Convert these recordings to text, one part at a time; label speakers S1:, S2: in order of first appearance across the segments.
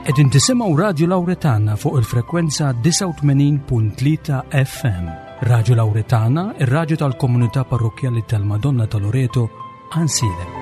S1: Qegħdin tisimgħu Radju Lawretana fuq il-frekwenza 89.3 FM. Radju Lawretana, ir-radju tal-komunità parrokkjali tal-Madonna ta' Loreto, Ansilem.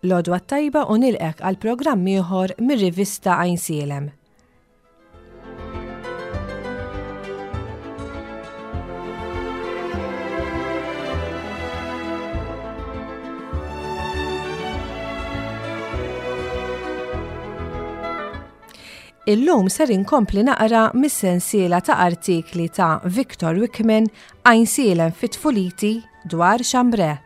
S2: L-għodwa t-tajba u nilqek għal programm ieħor mir-rivista Għajnsielem. Illum ser inkompli naqra mis-sensiela ta' artikli ta' Victor Wickman Għajnsielem fit-tfuliti dwar Xambre.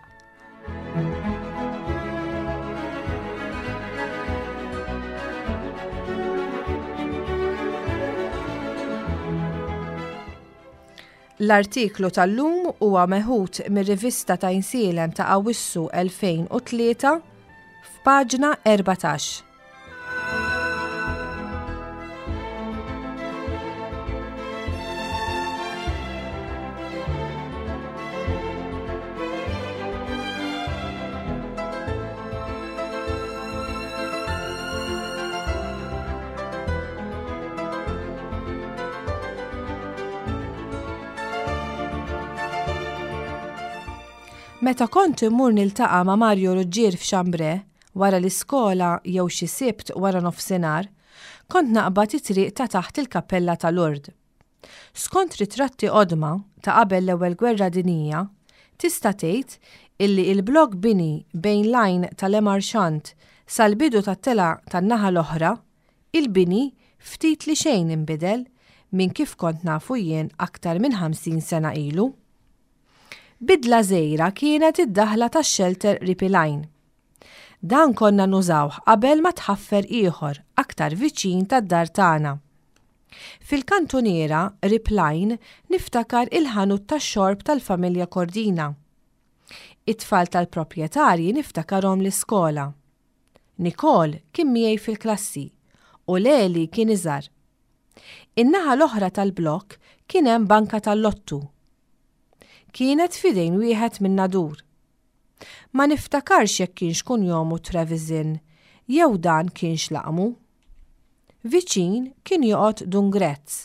S2: L-artiklu tal-lum huwa meħud mir-rivista ta' Għajnsielem ta' Awwissu 2003 f'paġna 14. Meta kont immur niltaqa' ma' Mario Ruggier f'Xambre, Wara l-iskola jew xi Sibt wara nofsinhar, kont naqbad it-triq ta' taħt il-kappella ta' Lourdes. Skont ritratti qodma ta' qabel l-Ewwel Gwerra Dinjija, tista' tgħid illi il-blokk bini bejn l-għajn ta' Le Marchant sal-bidu tat-telgħa tan-naħa l-oħra, il-bini ftit li xejn inbidel minn kif kont nafu jien aktar minn 50 sena ilu. Bidla żgħira kienet id-daħla tax-xelter qrib il-għajn. Dan konna nużawh qabel ma tħaffer ieħor aktar viċin tad-dar tagħna. Fil-kantuniera qrib l-għajn niftakar il-ħanut tax-xorb tal-familja Cordina. It-tfal tal-proprjetarji niftakarhom l-iskola. Nicole kien miegħi fil-klassi u Leli kien iżgħar. In-naħa l-oħra tal-blokk kien hemm banka tal-lottu. Kienet f'idejn wieħed min-Nadur. Ma niftakarx jekk kienx kunjomu Trevisan jew dan kienx laqmu. Viċin kien joqgħod Dun Grezz.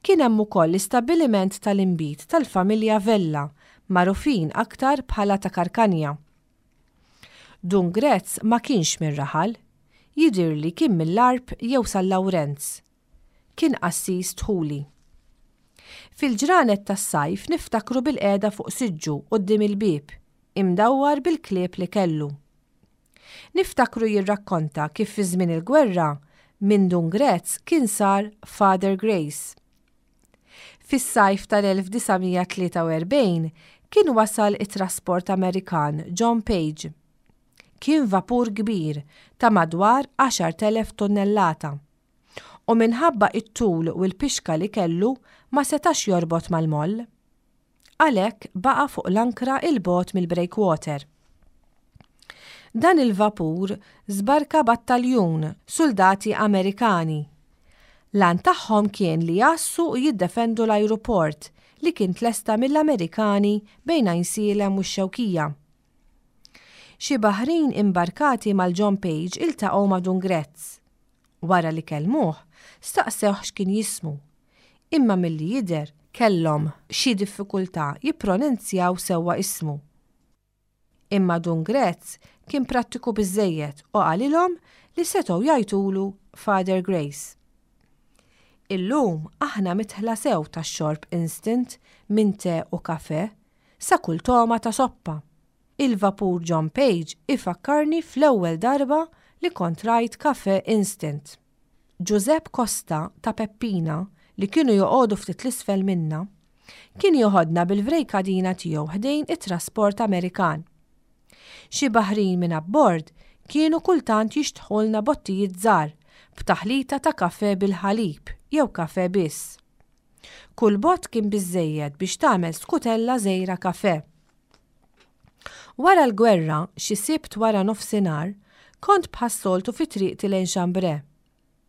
S2: Kien hemm ukoll l-istabbiliment tal-inbid tal-familja Vella magħrufin aktar bħala ta' Karkanja. Dun Grezz ma kienx mir-raħal, jidhirli kien mill-Għarb jew San Lawrenz. Kien qassis dħuli. Fil-ġranet tas-sajf niftakru bilqiegħda fuq siġġu quddiem il-bieb, imdawwar bil-klieb li kellu. Niftakru jirrakkonta kif fi żmien il-gwerra, minn Dun Grezz kien sar Father Grace. Fis-sajf tal-1943 kien wasal it-trasport Amerikan John Page. Kien vapur kbir ta' madwar 10,000 tunnellata. U minħabba it-tul u l-pixka li kellu ma setax jorbot mal-moll. Għalhekk baqa' fuq l-ankra 'il bogħod mill-breakwater. Dan il-vapur żbarka battaljun suldati Amerikani. L-għan tagħhom kien li jgħassu u jiddefendu l-ajruport li kien tlesta mill-Amerikani bejn Għajnsielem u x-Xewkija. Xi baħrin imbarkati mal-John Page iltaqgħu ma' Dun Grezz. Wara li kellmuh, staqsewh x'kien jismu. Imma milli jidher kellhom xi diffikultà jippronenzjaw sewwa ismu. Imma Dun Grezz kien prattiku biżżejjed u qalilhom li setgħu jgħajtulu Father Grace. Illum aħna midħla sew tax-xorb instant minn te u kafè sa kull togħma ta' soppa. Il-vapur John Page ifakkarni fl-ewwel darba li kont rajt kafè instant. Ġużepp Costa ta' Peppina li kienu joqogħdu ftit 'l isfel minna, kien joħodna bil-vrejkadina tiegħu ħdejn it-trasport Amerikan. Xi baħrin minn abbord kienu kultant jixtħulna bottijiet żgħar b'taħlita ta' kafè bil-ħalib jew kafè biss. Kull bott kien biżżejjed biex tagħmel skutella żgħira kafè. Wara l-gwerra, xi Sibt wara nofsinhar, kont bħas-soltu fi triqti lejn Chambray.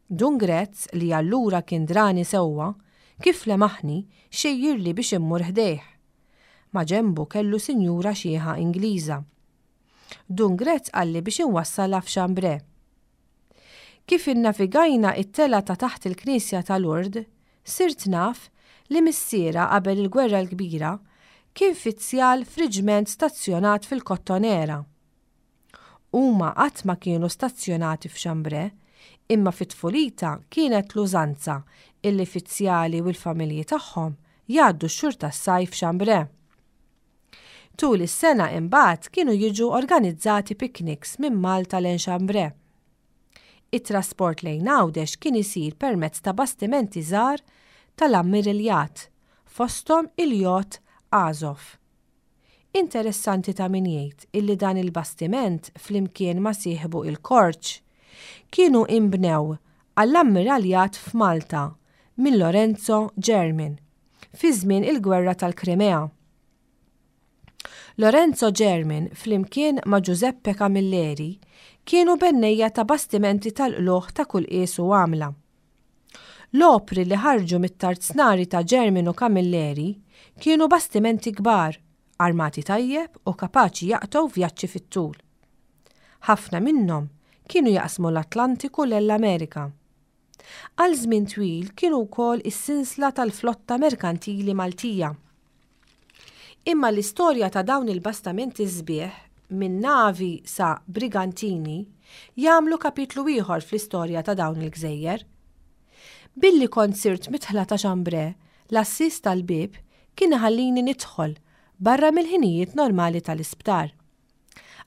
S2: Dun Grezz, li allura kien drani sewwa, kif lemaħni, xejjirli biex immur ħdejh. Maġenbu kellu sinjura xiħa Ingliża. Dun Grezz qalli biex inwassalha f'Chambray. Kif innavigajna it-telgħa ta' taħt il-knisja ta' Lourdes, sirt naf li missierha qabel il-Gwerra l-Kbira kien fizzjal f'riġment stazzjonat fil-Kottonera. Huma qatt ma kienu stazzjonati f'Chambray, imma fi tfulitha kienet l-użanza illi fizzjali u l-familji tagħhom jgħaddu x-xhur tas-sajf f'Chambray. Tul is-sena imbagħad kienu jiġu organizzati picnics minn Malta lejn Chambray. It-trasport lejn Għawdex kien isir permezz ta' bastimenti żgħar tal-Ammiriljat, fosthom il-jott Azov. Interessanti ta' min jgħid illi dan il-bastiment flimkien ma' sieħbu il-Korċ kienu inbnew għall-Ammiraljat f'Malta minn Lorenzo German fi żmien il-Gwerra tal-Krimea. Lorenzo German flimkien ma' Giuseppe Camilleri kienu bennejja ta' bastimenti tal-qlugħ ta' kull qies u għamla. L-opri li ħarġu mit-tarznari ta' German u Camilleri kienu bastimenti kbar, armati tajjeb u kapaċi jaqtgħu vjaġġi fit-tul. Ħafna minnhom kienu jaqsmu l-Atlantiku lejn l-Amerika. Għal żmien twil kienu wkoll is-sinsla tal-flotta merkantili Maltija. Imma l-istorja ta' dawn il-bastamenti sbieħ, minn navi sa brigantini, jagħmlu kapitlu ieħor fl-istorja ta' dawn il-gżejjer. Billi kont sirt midħla ta' Chambray, l-għassies tal-bieb kien iħallini nidħol barra mill-ħinijiet normali tal-isptar.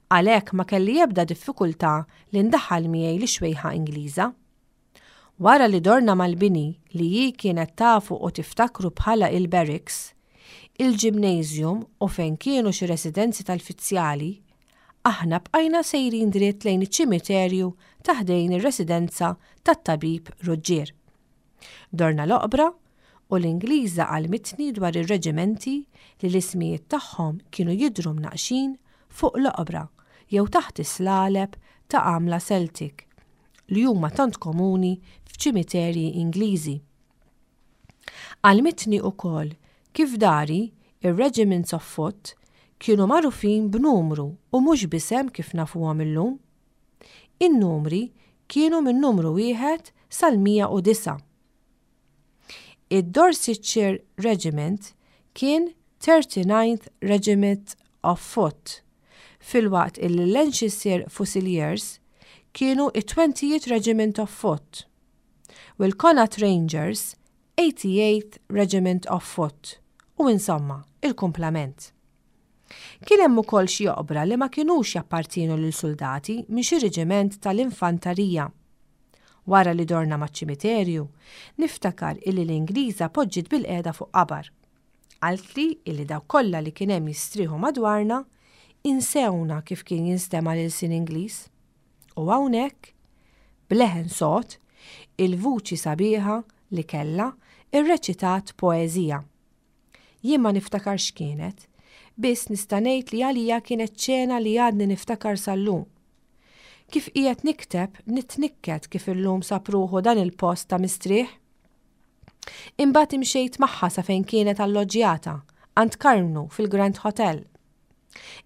S2: Għalhekk ma kelli ebda diffikultà li ndaħħal miegħi lix-xwejħa Ingliża. Wara li dorna mal-bini li hi kienet tafu u tiftakru bħala il-barracks, il-gymnasium u fejn kienu xi residenzi tal-fizzjali, aħna bqajna sejrin dritt lejn iċ-ċimiterju ta' ħdejn ir-residenza tat-tabib Ruġġier. Dorna l-oqbra u l-Ingliża għallmitni dwar ir-reġimenti li l-ismijiet tagħhom kienu jidhru mnaqqxin fuq l-oqbra jew taħt is-slaleb ta' għamla Celtic li huma tant komuni f'ċimiterji Ingliżi. Għallmitni ukoll kif dari ir-regiments of foot kienu magħrufin b'numru u mhux b'isem kif nafuhom illum. In-numri kienu minn numru wieħed sal-109. Id-Dorsetshire Regiment kien 39th Regiment of Foot, filwaqt illi l-Lancashire Fusiliers kienu it-20th Regiment of Foot, u l-Connaught Rangers 88th Regiment of Foot, u insomma, il-kumplament. Kien hemm ukoll xi oqbra li ma kinux jappartienu lil suldati minn xi reġiment tal-infantarija. Wara li dorna maċ-ċimiterju, niftakar illi l-Ingliża poġġiet bilqiegħda fuq qabar. Qaltli illi dawk kollha li kien hemm jistrieħu madwarna insewna kif kien jinstema' l-ilsien Ingliż. U hawnhekk, b'leħen sod, il-vuċi sabiħa li kellha rreċitat poeżija. Jien ma niftakarx x'kienet, biss nista' ngħid li għalija kienet ċena li għadni niftakar sal-lum. Kif qiegħed nikteb, nitnikket kif illum sab ruħu dan il-post ta' mistrieħ. Imbagħad imxejt magħha sa fejn kienet alloġġjata, għand Karmnu fil-Grand Hotel.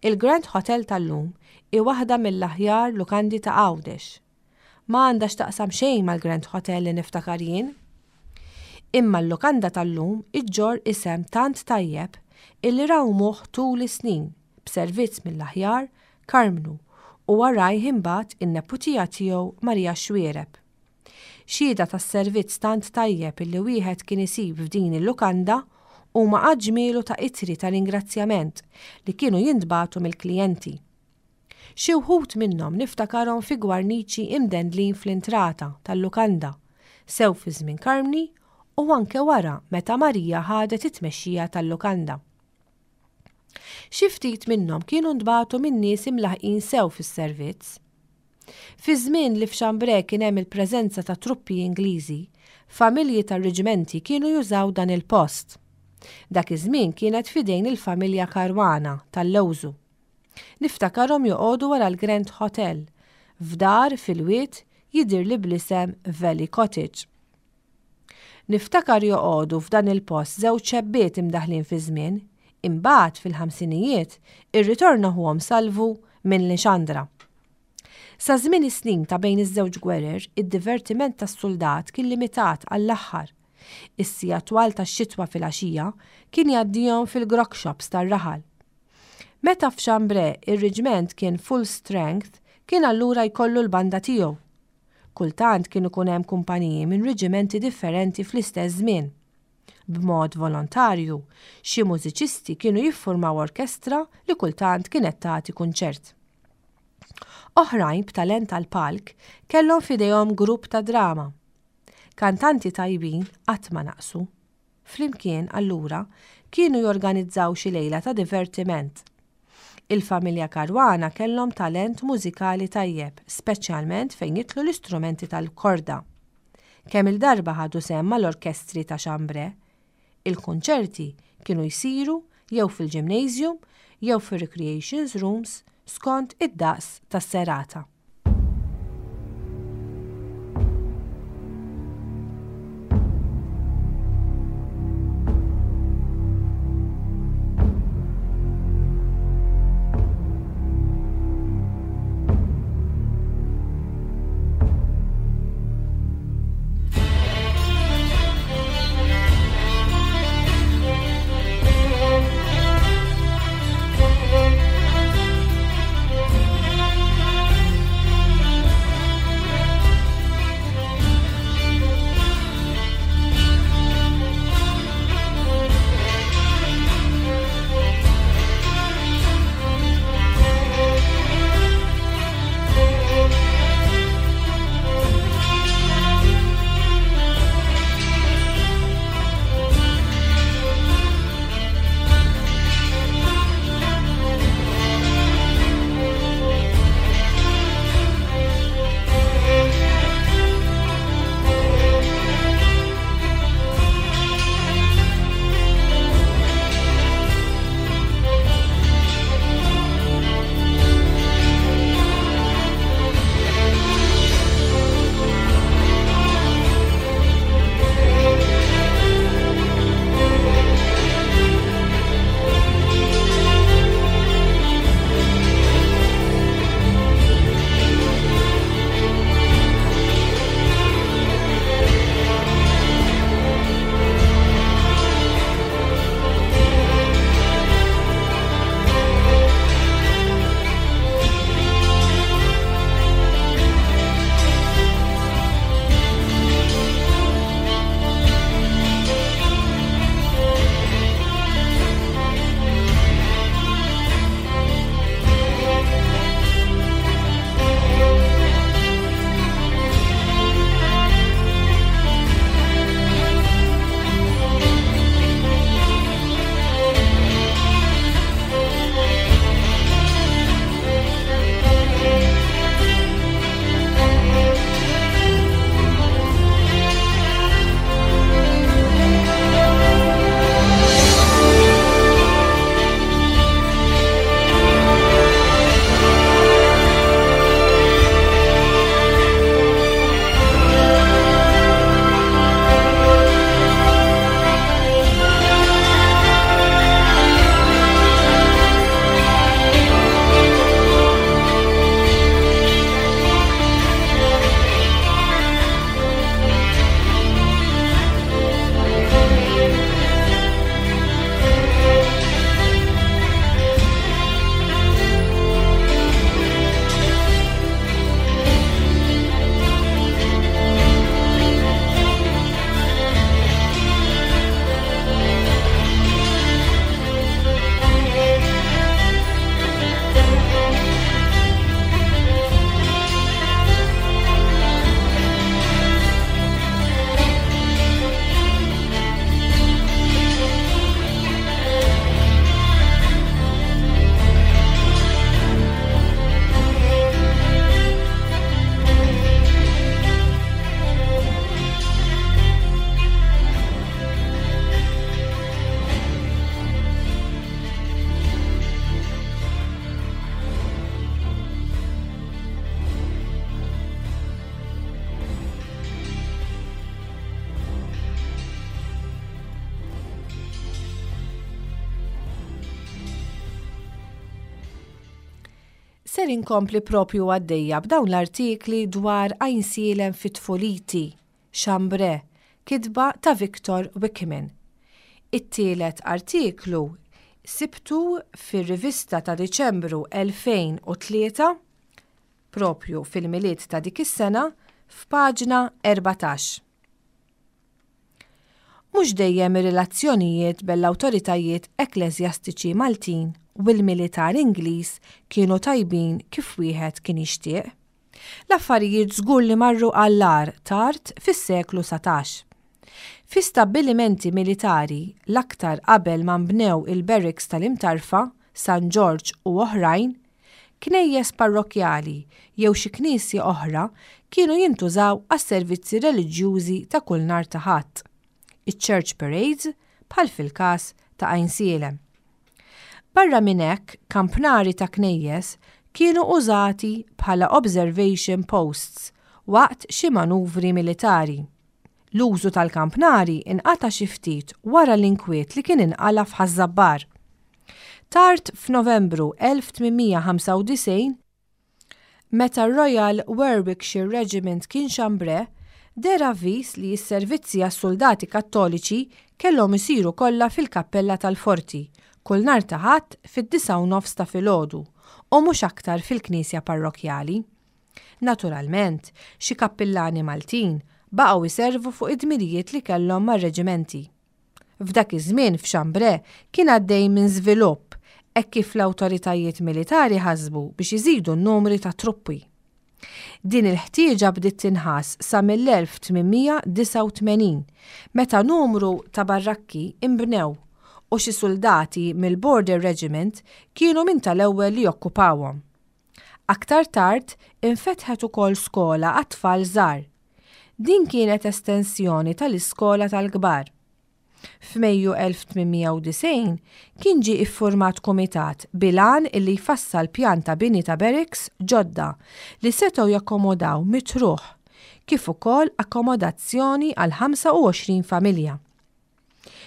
S2: Il-Grand Hotel tal-lum hi waħda mill-aħjar lukandi ta' Għawdex. Ma għandha x'taqsam xejn mal-Grand Hotel li niftakar jien. Imma l-lukanda tal-lum iġġorr isem tant tajjeb illi rawmuh tul is-snin b'servizz mill-aħjar Karmnu u warajh imbagħad in-neputija tiegħu Maria Xuereb. Xhieda tas-servizz tant tajjeb illi wieħed kien isib f'din il-lukanda. Huma għadd ġmielu ta' ittri ta' ringrazzjament li kienu jintbagħtu mill-klijenti. Xi wħud minnhom niftakarhom fi gwarniċi imdendlin fl-intrata tal-lukanda, sew fi żmien Karmni u anke wara meta Marija ħadet it-tmexxija tal-lukanda. Xi ftit minnhom kienu ntbagħtu minn nies imlaħqin sew fis-servizz. Fi żmien li f'Chambray kien hemm il-preżenza ta' truppi Ingliżi, familji tar-riġmenti kienu jużaw dan il-post. Dak iż-żmien kienet f'idejn il-familja Caruana tal-Lewżu. Niftakarhom joqogħdu wara l-Grand Hotel, f'dar fil-wied jidhirli bl-isem Valley Cottage. Niftakar joqogħdu f'dan il-post żewġ xebbiet imdaħħlin fiż-żmien, imbagħad fil-ħamsinijiet irritorna ħuhom Salvu minn Lixandra. Sa żmien is-snin ta' bejn iż-żewġ gwerer, id-divertiment tas-suldat kien limitat għall-aħħar. Is-sigħat twal tax-xitwa filgħaxija kien jgħaddihom fil-grog shops tar-raħal. Meta f'Chambray ir-riġment kien full strength kien allura jkollu l-banda tiegħu. Kultant kien ikun hemm kumpaniji minn riġimenti differenti fl-istess żmien. B'mod volontarju, xi mużiċisti kienu jiffurmaw orkestra li kultant kienet tagħti kunċert. Oħrajn b'talent għall-palk kellhom f'idejhom grupp ta' drama. Kantanti tajbin qatt ma naqsu. Flimkien, allura, kienu jorganizzaw xi lejla ta' divertiment. Il-familja Caruana kellhom talent mużikali tajjeb, speċjalment fejn jidħlu l-istrumenti tal-korda. Kemm-il darba ħadu sehem mal-orkestri ta' Chambray. Il-kunċerti kienu jsiru jew fil-gymnasium jew fir-recreations rooms skont id-daqs tas-serata. Ser inkompli propju għaddejja b'dawn l-artikli dwar Għajnsielem fi tfuliti, Chambré, kitba ta' Victor Wickerman. It-tielet artiklu sibtu fir-rivista ta' Diċembru 2003, propju fil-Milied ta' dik is-sena, f'paġna 14. Mhux dejjem ir-relazzjonijiet bejn l-awtoritajiet ekkleżjastiċi Maltin u l-militar Ingliż kienu tajbin kif wieħed kien jixtieq. L-affarijiet żgur li marru għall-agħar tard fis-seklu 19. Fi stabbilimenti militari, l-aktar qabel ma nbnew il-barracks tal-Imtarfa, San Ġorġ u oħrajn, Knejjes parrokkjali jew xi knisja oħra kienu jintużaw għas-servizzi reliġjużi ta' kull nhar ta' Ħadd, iċ-church parades bħal fil-każ ta' Għajnsielem. Barra minn hekk, kampnari ta' knejjes kienu użati bħala observation posts waqt xi manuvri militari. L-użu tal-kampnari nqata' xi ftit wara l-inkwiet li kien inqala' f'Ħaż-Żabbar. Tard f'Novembru 1895, meta r-Royal Warwickshire Regiment kien Chambray, deher avviż li s-servizzi għas-suldati Kattoliċi kellhom isiru kollha fil-kappella tal-forti, kull nhar ta' Ħadd fid-disgħa u nofs ta' filgħodu, u mhux aktar fil-knisja parrokkjali. Naturalment, xi kappillani Maltin baqgħu jservu fuq id-dmirijiet li kellhom mar-reġimenti. F'dak iż-żmien f'Chambray kien għaddej minn żvilupp hekk kif l-awtoritajiet militari ħasbu biex iżidu n-numri ta' truppi. Din il-ħtieġa bdiet tinħass sa mill-1889 meta numru ta' barrakki nbnew u xi suldati mill-Border Regiment kienu minn tal-ewwel li okkupawhom. Aktar tard infetħet ukoll skola għat-tfal żgħar. Din kienet estensjoni tal-iskola tal-kbar. F'Mejju 1890 kien ġie iffurmat kumitat bil-għan illi jfassal pjan ta' bini ta' barracks ġodda li setgħu jakkomodaw mitt ruħ, kif ukoll akkomodazzjoni għal 25 familja.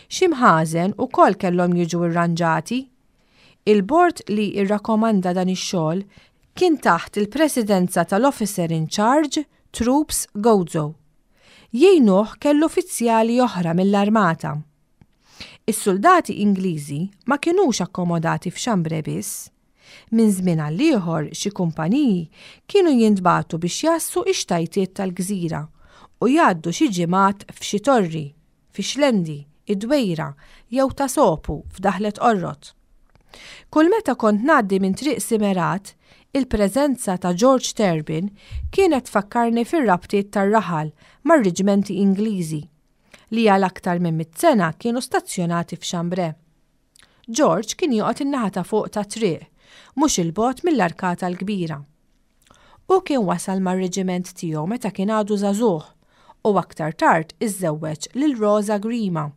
S2: Xi mħażen ukoll kellhom jiġu rranġati. Il-bord li rrakkomanda dan ix-xogħol kien taħt il-presidenza tal-Officer in Charge Troops Gozo. Jgħinuh kellu uffizzjali oħra mill-armata. Is-suldati Ingliżi ma kinux akkomodati f'Chambray biss. Minn żmien għall-ieħor xi kumpaniji kienu jintbagħtu biex jgħassu x-xtajtiet tal-gżira u jgħaddu xi ġimgħat f'xi torri, fix-Xlendi, id-Dwejra jew Ta' Sopu f'Daħlet Qorrot. Kull meta kont ngħaddi minn Triq Simerat, il-preżenza ta' George Turbin kienet tfakkarni fir-rabtiet tar-raħal mar-riġmenti Ingliżi, li għal aktar minn mitt sena kienu stazzjonati f'Chambray. George kien joqgħod in-naħa ta' fuq tat-triq, mhux 'il bogħod mill-Arkata l-Kbira. Hu kien wasal mar-reġiment tiegħu meta kien għadu żagħżugħ u aktar tard iżżewweġ lil Rosa Grima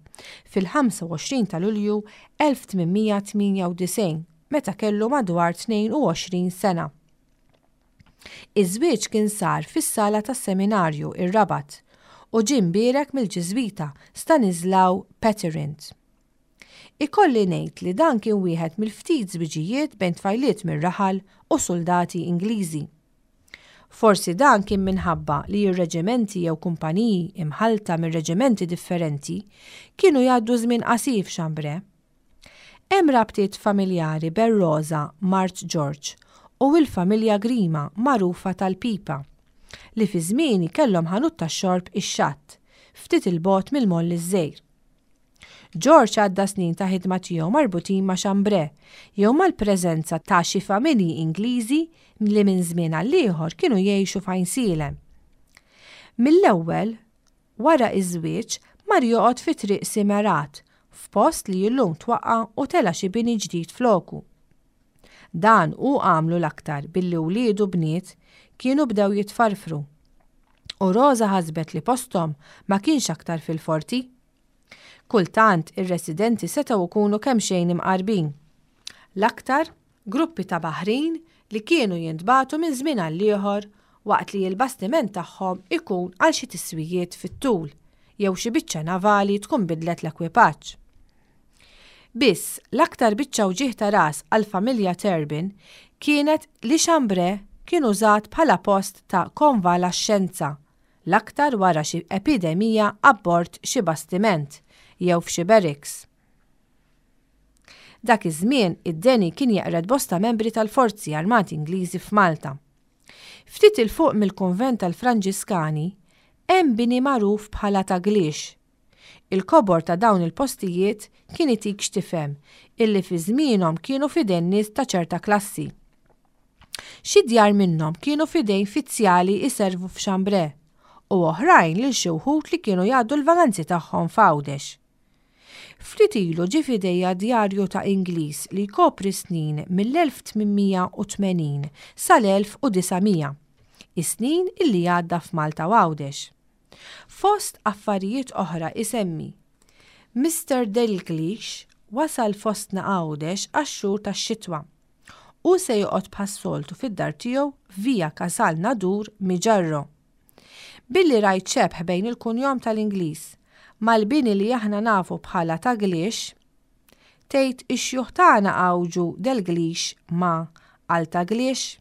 S2: fil-25 ta' Lulju 1898 meta kellu madwar 22 sena. Iż-żwieġ kien sar fis-sala tas-seminarju, ir-Rabat, u ġie mbierek mill-Ġiżwita Stanislaw Peterint. Ikolli ngħid li dan kien wieħed mill-ftit żwiġijiet bejn tfajliet mir-raħal u suldati Ingliżi. Forsi dan kien minħabba li r-reġimenti jew kumpaniji imħallta minn reġimenti differenti kienu jgħaddu żmien qasir f'Chambray. Hemm rabtiet familjari bejn Rosa, mart George, u l-familja Grima magħrufa tal-Pipa, li fi żmieni kellhom ħanut tax-xorb ix-Xatt, ftit 'il bogħod mill-Moll iż-Żgħir. George għadda snin ta' ħidma tiegħu marbutin ma' Chambray jew mal-preżenza ta' xi familji Ingliżi li minn żmien għall-ieħor kienu jgħixu f'Għajnsielem. Mill-ewwel, wara ż-żwieġ, mar joqgħod fi Triq Simerat, f'post li illum twaqqa' u tela' xi bini ġdid floku. Dan hu għamlu l-aktar billi wliedu bniet kienu bdew jitfarfru u Rosa ħasbet li posthom ma kienx aktar fil-forti. Kultant ir-residenti setgħu jkunu kemxejn imqarbin. L-aktar, gruppi ta' baħrin li kienu jintbagħtu minn żmien għall-ieħor waqt li l-bastiment tagħhom ikun għal xi tiswijiet fit-tul jew xi biċċa navali tkun bidlet l-ekwipaġġ. Biss, l-aktar biċċa wġigħ ta' ras għall-familja Turbin kienet li Chambray kien użat bħala post ta' konvalaxxenza, l-aktar wara xi epidemija abbord xi bastiment jew f'xi barracks. Dak iż-żmien id-deni kien jeqred bosta membri tal-Forzi Armati Ingliżi f'Malta. Ftit 'il fuq mill-kunvent tal-Franġiskani hemm bini magħruf bħala Ta' Gliex. Il-kobor ta' dawn il-postijiet kien itik x'tifhem illi fi żmienhom kienu f'idejn nies ta' ċerta klassi. Xi djar minnhom kienu f'idejn fizzjali jservu f'Chambray u oħrajn lil xi wħud li kienu jgħaddu l-vaganzi tagħhom f'Għawdex. Ftit ilu ġie f'idejja djarju ta' Ingliż li jkopri s-snin mill-1880 sal-1900, is-snin illi għadda f'Malta u Għawdex. Fost affarijiet oħra isemmi, Mister Dalglish wasal fostna Għawdex għax-xhur tax-xitwa. Hu se joqgħod bħas-soltu fid-dar tiegħu f'Via Casal Nadur, Miġarro. Billi rajt xebh bejn il-kunjom tal-Ingliż mal-bini li aħna nafu bħala Ta' Glix, tgħid ix-xjuħ tagħna għawġu Delglix ma' għal Ta' Glix?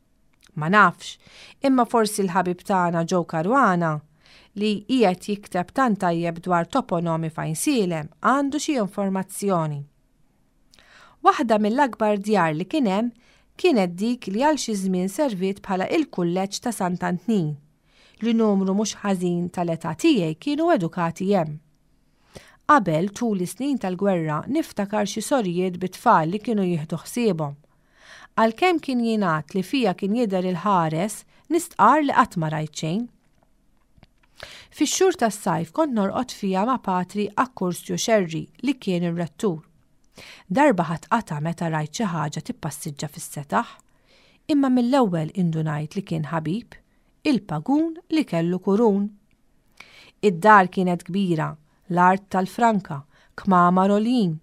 S2: Ma nafx, imma forsi l-ħabib tagħna Joe Caruana, li qiegħed jikteb tant tajjeb dwar toponomi f'Għajnsielem għandu xi informazzjoni. Waħda mill-akbar djar li kien hemm kienet dik li għal xi żmien serviet bħala il-Kulleġġ ta' Sant'Antnin, li numru mhux ħażin tal-età tiegħi kienu edukati hemm. Qabel, tul is-snin tal-gwerra, niftakar xi sorijiet bi tfal li kienu jieħdu ħsiebhom. Għalkemm kien jingħad li fiha kien jidher il-ħares, nistqarr li qatt ma rajt xejn. Fix-xhur tas-sajf kont norqod fiha ma' Patri Akkursju Xerri li kien ir-rettur. Darba ħadt qatgħa meta rajt xi ħaġa tippassiġġa fis-setaħ. Imma mill-ewwel indunajt li kien ħabib, il-pagun li kellu kurun. Id-dar kienet kbira, l-art tal-franka, kmamar għoljin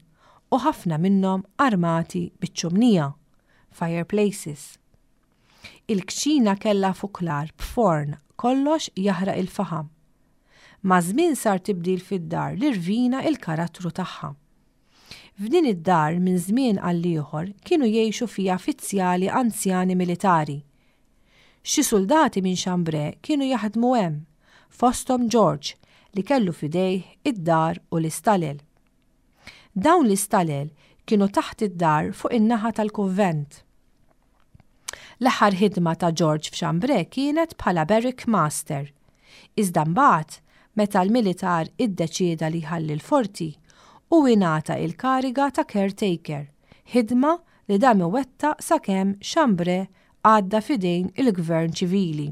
S2: u ħafna minnhom armati biċ-ċumnija, fireplaces. Il-kċina kellha fuklar b'forn kollox jaħraq il-faħam. Maż-żmien sar tibdil fid-dar li rvina il-karattru tagħha. F'din id-dar minn żmien għall-ieħor kienu jgħixu fiha fizzjali anzjani militari. Xi suldati minn Chambray kienu jaħdmu hemm, fosthom George li kellu f'idejh id-dar u l-istalel. Dawn l-istalel kienu taħt id-dar fuq in-naħa tal-kunvent. L-aħħar ħidma ta' George f'Chambray kienet bħala barrack master. Iżda mbagħad, meta l-militar iddeċieda li jħalli l-forti, hu ingħata il-kariga ta' caretaker, ħidma li dam iwettaq sakemm Chambray għadda f'idejn il-gvern ċivili.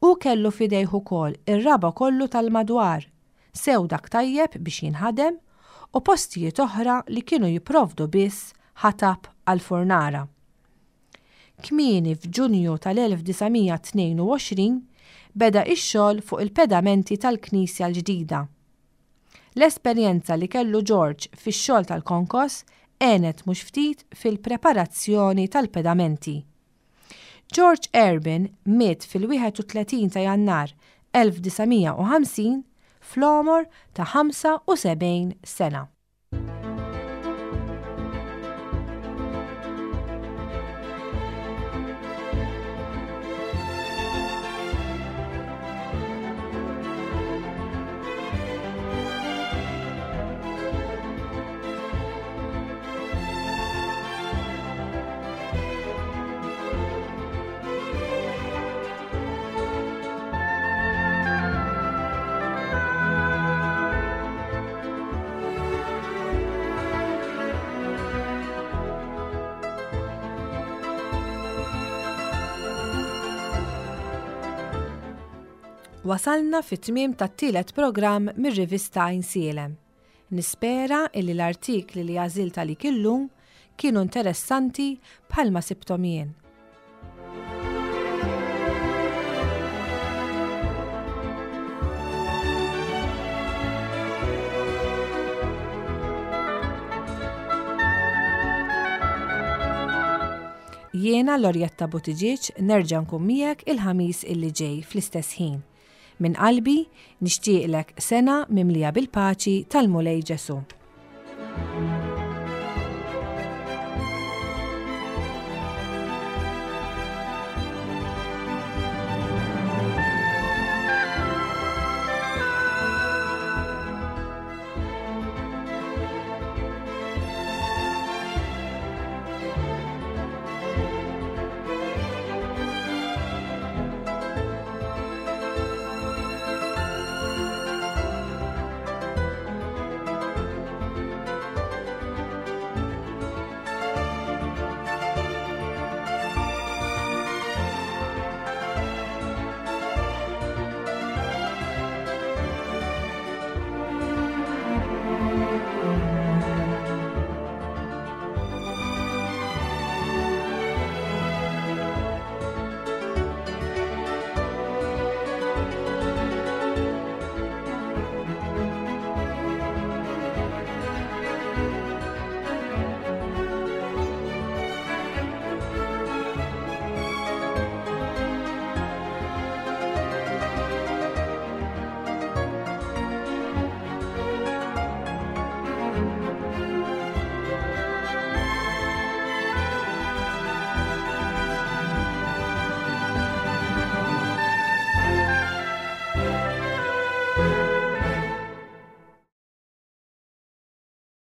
S2: Hu kellu f'idejh ukoll ir-raba' kollu tal-madwar, sew dak tajjeb biex jinħadem u postijiet oħra li kienu jipprovdu biss ħatab għall-furnara. Kmieni f'Ġunju tal-1922 beda x-xogħol fuq il-pedamenti tal-knisja l-ġdida. L-esperjenza li kellu George fix-xogħol tal-konkos għenet mhux ftit fil-preparazzjoni tal-pedamenti. George Erben miet fil-31 ta' Jannar 1950 fl-għomor ta' 75 sena. Wasalna fit-tmiem tat-tielet programm mir-rivista Għajnsielem. Nispera illi l-artikli li għażilt għalik illum kienu interessanti bħalma sibthom jien. Jiena Lorjetta Buttigieg nerġa' nkun miegħek il-Ħamis illi ġej fl-istess ħin. Minn qalbi nixtieqlek sena mimlija bil-paċi tal-Mulej Ġesù.